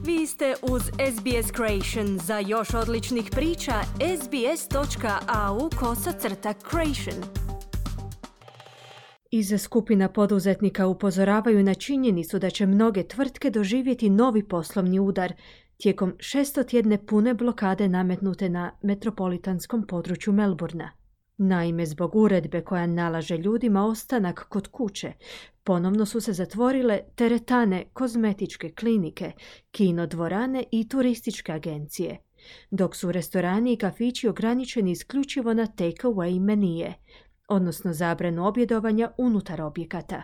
Vi ste uz SBS Creation. Za još odličnih priča, sbs.au/creation. Iz skupina poduzetnika upozoravaju na činjenicu da će mnoge tvrtke doživjeti novi poslovni udar tijekom 600-tjedne pune blokade nametnute na metropolitanskom području Melbourna. Naime, zbog uredbe koja nalaže ljudima ostanak kod kuće, ponovno su se zatvorile teretane, kozmetičke klinike, kino dvorane i turističke agencije, dok su restorani i kafići ograničeni isključivo na take-away menije, odnosno zabranu objedovanja unutar objekata.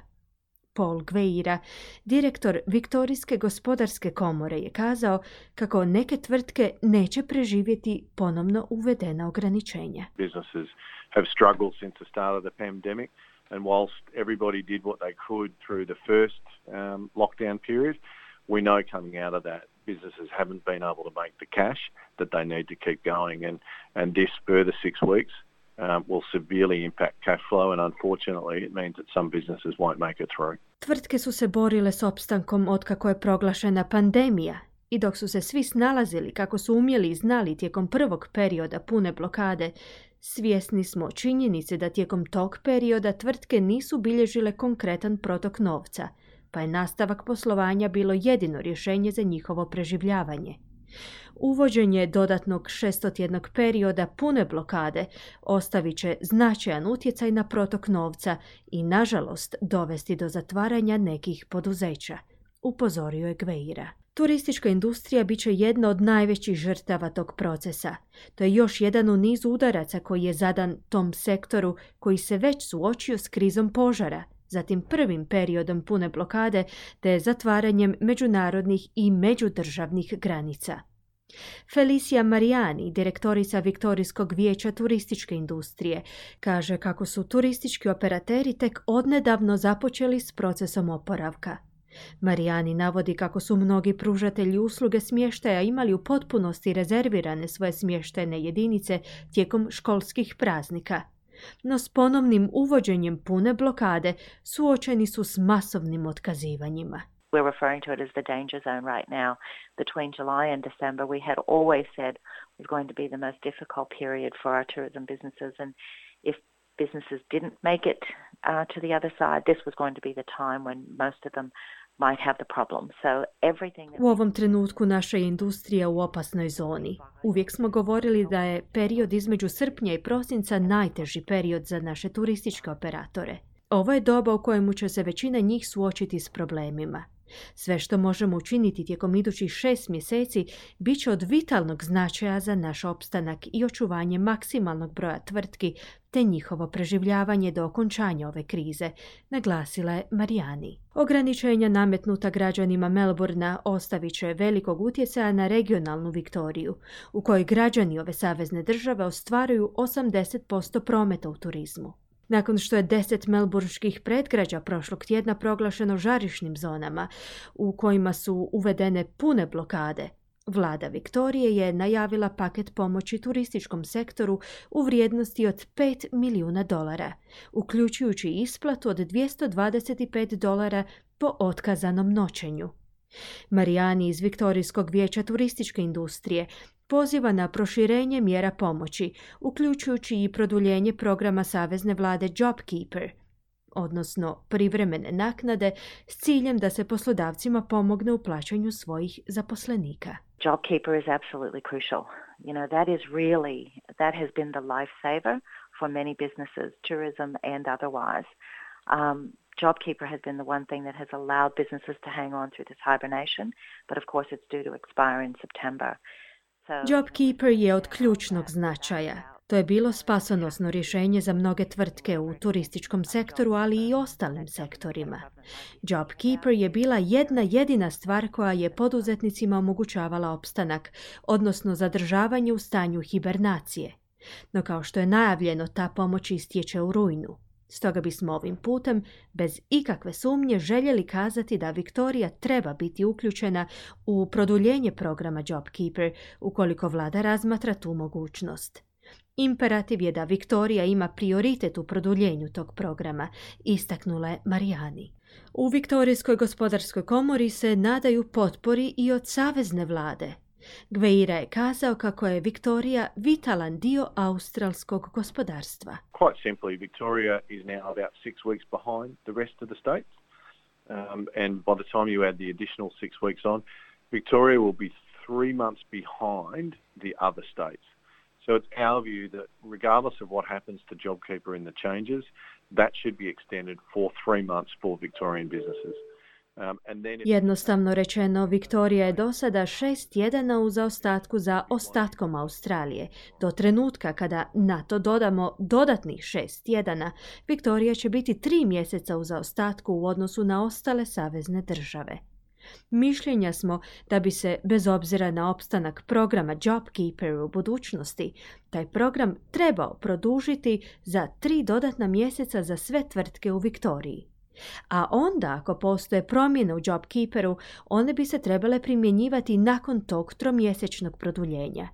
Paul Gveira, direktor Viktorijske gospodarske komore, je kazao kako neke tvrtke neće preživjeti ponovno uvedena ograničenja. Businesses have struggled since the start of the pandemic, and whilst everybody did what they could through the first lockdown period, we know coming out of that businesses haven't been able to make the cash that they need to keep going, and this further 6 weeks will severely impact cash flow, and unfortunately it means that some businesses won't make it through. Tvrtke su se borile s opstankom otkako je proglašena pandemija i dok su se svi snalazili kako su umjeli i znali tijekom prvog perioda pune blokade, svjesni smo činjenice da tijekom tog perioda tvrtke nisu bilježile konkretan protok novca, pa je nastavak poslovanja bilo jedino rješenje za njihovo preživljavanje. Uvođenje dodatnog 600-tjednog perioda pune blokade ostavit će značajan utjecaj na protok novca i, nažalost, dovesti do zatvaranja nekih poduzeća, upozorio je Gveira. Turistička industrija bit će jedna od najvećih žrtava tog procesa. To je još jedan u nizu udaraca koji je zadan tom sektoru koji se već suočio s krizom požara, zatim prvim periodom pune blokade te zatvaranjem međunarodnih i međudržavnih granica. Felicia Mariani, direktorica Viktorijskog vijeća turističke industrije, kaže kako su turistički operateri tek odnedavno započeli s procesom oporavka. Mariani navodi kako su mnogi pružatelji usluge smještaja imali u potpunosti rezervirane svoje smještajne jedinice tijekom školskih praznika. No s ponovnim uvođenjem pune blokade suočeni su s masovnim otkazivanjima. We're referring to it as the danger zone right now. Between July and December, we had always said was going to be the most difficult period for our tourism businesses, and if businesses didn't make it to the other side, this was going to be the time when most of them might have the problem. So everything U ovom trenutku naša je industrija u opasnoj zoni. Uvijek smo govorili da je period između srpnja i prosinca najteži period za naše turističke operatore. Ovo je doba u kojemu će se većina njih suočiti s problemima. Sve što možemo učiniti tijekom idućih 6 mjeseci bit će od vitalnog značaja za naš opstanak i očuvanje maksimalnog broja tvrtki te njihovo preživljavanje do okončanja ove krize, naglasila je Mariani. Ograničenja nametnuta građanima Melbourna ostavit će velikog utjecaja na regionalnu Viktoriju, u kojoj građani ove savezne države ostvaruju 80% prometa u turizmu. Nakon što je 10 melburških predgrađa prošlog tjedna proglašeno žarišnim zonama u kojima su uvedene pune blokade, vlada Viktorije je najavila paket pomoći turističkom sektoru u vrijednosti od $5 milijuna, uključujući isplatu od $225 po otkazanom noćenju. Mariani iz Viktorijskog vijeća turističke industrije poziva na proširenje mjera pomoći, uključujući i produljenje programa savezne vlade JobKeeper, odnosno privremene naknade s ciljem da se poslodavcima pomogne u plaćanju svojih zaposlenika. JobKeeper is absolutely crucial. You know, that has been the lifesaver for many businesses, tourism and otherwise. JobKeeper has been the one thing that has allowed businesses to hang on through this hibernation, but of course it's due to expire in September. JobKeeper je od ključnog značaja. To je bilo spasonosno rješenje za mnoge tvrtke u turističkom sektoru, ali i ostalim sektorima. JobKeeper je bila jedna jedina stvar koja je poduzetnicima omogućavala opstanak, odnosno zadržavanje u stanju hibernacije. No kao što je najavljeno, ta pomoć istječe u rujnu. Stoga bismo ovim putem, bez ikakve sumnje, željeli kazati da Viktorija treba biti uključena u produljenje programa JobKeeper ukoliko vlada razmatra tu mogućnost. Imperativ je da Viktorija ima prioritet u produljenju tog programa, istaknula je Mariani. U Viktorijskoj gospodarskoj komori se nadaju potpori i od savezne vlade. Gveira je kazao kako je Viktorija vitalan dio australskog gospodarstva. Quite simply, Victoria is now about 6 weeks behind the rest of the states. And by the time you add the additional 6 weeks on, Victoria will be 3 months behind the other states. So it's our view that regardless of what happens to JobKeeper in the changes, that should be extended for 3 months for Victorian businesses. Jednostavno rečeno, Viktorija je do sada 6 tjedana u zaostatku za ostatkom Australije. Do trenutka kada na to dodamo dodatnih 6 tjedana, Viktorija će biti 3 mjeseca u zaostatku u odnosu na ostale savezne države. Mišljenja smo da bi se, bez obzira na opstanak programa JobKeeper u budućnosti, taj program trebao produžiti za 3 dodatna mjeseca za sve tvrtke u Viktoriji. A onda, ako postoje promjene u JobKeeperu, one bi se trebale primjenjivati nakon tog 3-mjesečnog produljenja.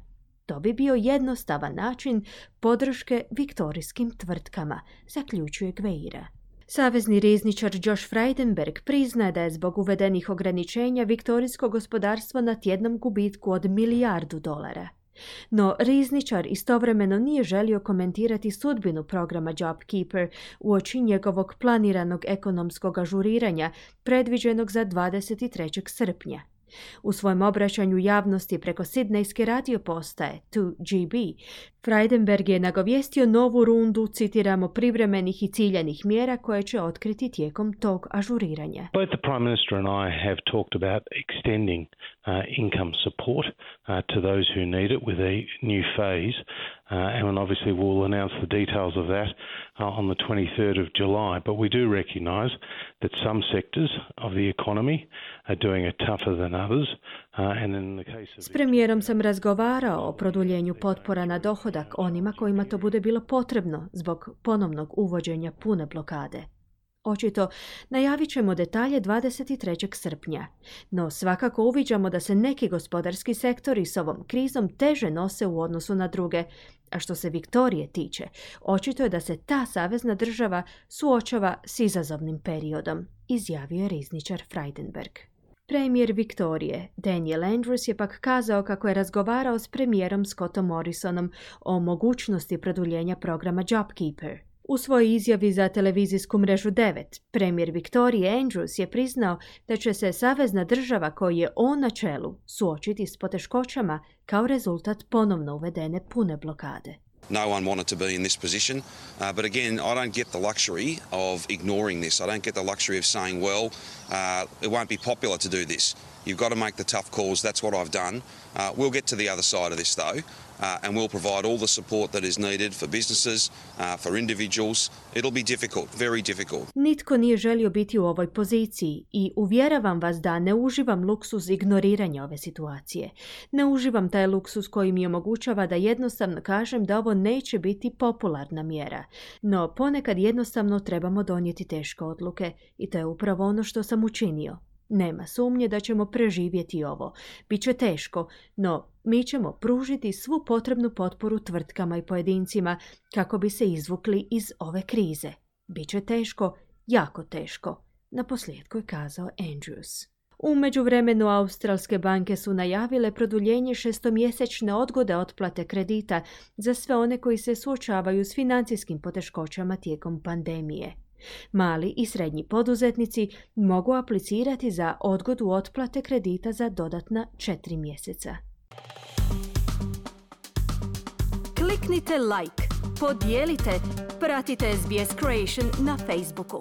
To bi bio jednostavan način podrške viktorijskim tvrtkama, zaključuje Gveira. Savezni rizničar Josh Frydenberg priznaje da je zbog uvedenih ograničenja viktorijsko gospodarstvo na tjednom gubitku od $1 milijardu. No, rizničar istovremeno nije želio komentirati sudbinu programa JobKeeper uoči njegovog planiranog ekonomskog ažuriranja predviđenog za 23. srpnja. U svojem obraćanju javnosti preko sidnejske radio postaje 2GB, Frydenberg je nagovijestio novu rundu, citiramo, privremenih i ciljanih mjera koje će otkriti tijekom tog ažuriranja. Both the Prime Minister and I have talked about extending income support to those who need it with a new phase. And obviously we'll announce the details of that on the 23rd of July. But we do recognise that some sectors of the economy are doing it tougher than others. And in the case of... S premijerom sam razgovarao o produljenju potpora na dohodak onima kojima to bude bilo potrebno zbog ponovnog uvođenja pune blokade. Očito, najavit ćemo detalje 23. srpnja, no svakako uviđamo da se neki gospodarski sektori s ovom krizom teže nose u odnosu na druge, a što se Viktorije tiče, očito je da se ta savezna država suočava s izazovnim periodom, izjavio je rizničar Frydenberg. Premijer Viktorije, Daniel Andrews, je pak kazao kako je razgovarao s premijerom Scottom Morrisonom o mogućnosti produljenja programa JobKeeper. U svojoj izjavi za televizijsku mrežu 9, premijer Viktorije Andrews je priznao da će se savezna država koju je on na čelu suočiti s poteškoćama kao rezultat ponovno uvedene pune blokade. No one wanted to be in this position, but again, I don't get the luxury of ignoring this. I don't get the luxury of saying, well, it won't be popular to do this. You've got to make the tough calls. That's what I've done. We'll get to the other side of this, though, and we'll provide all the support that is needed for businesses, for individuals. It'll be difficult, very difficult. Nitko nije želio biti u ovoj poziciji i uvjeravam vas da ne uživam luksuz ignoriranja ove situacije. Ne uživam taj luksuz koji mi omogućava da jednostavno kažem da ovo neće biti popularna mjera. No ponekad jednostavno trebamo donijeti teške odluke i to je upravo ono što sam učinio. Nema sumnje da ćemo preživjeti ovo. Biće teško, no mi ćemo pružiti svu potrebnu potporu tvrtkama i pojedincima kako bi se izvukli iz ove krize. Biće teško, jako teško, naposljetku je kazao Andrews. U međuvremenu australske banke su najavile produljenje 6-mjesečne odgode otplate kredita za sve one koji se suočavaju s financijskim poteškoćama tijekom pandemije. Mali i srednji poduzetnici mogu aplicirati za odgodu otplate kredita za dodatna 4 mjeseca. Kliknite like, podijelite, pratite SBS Creation na Facebooku.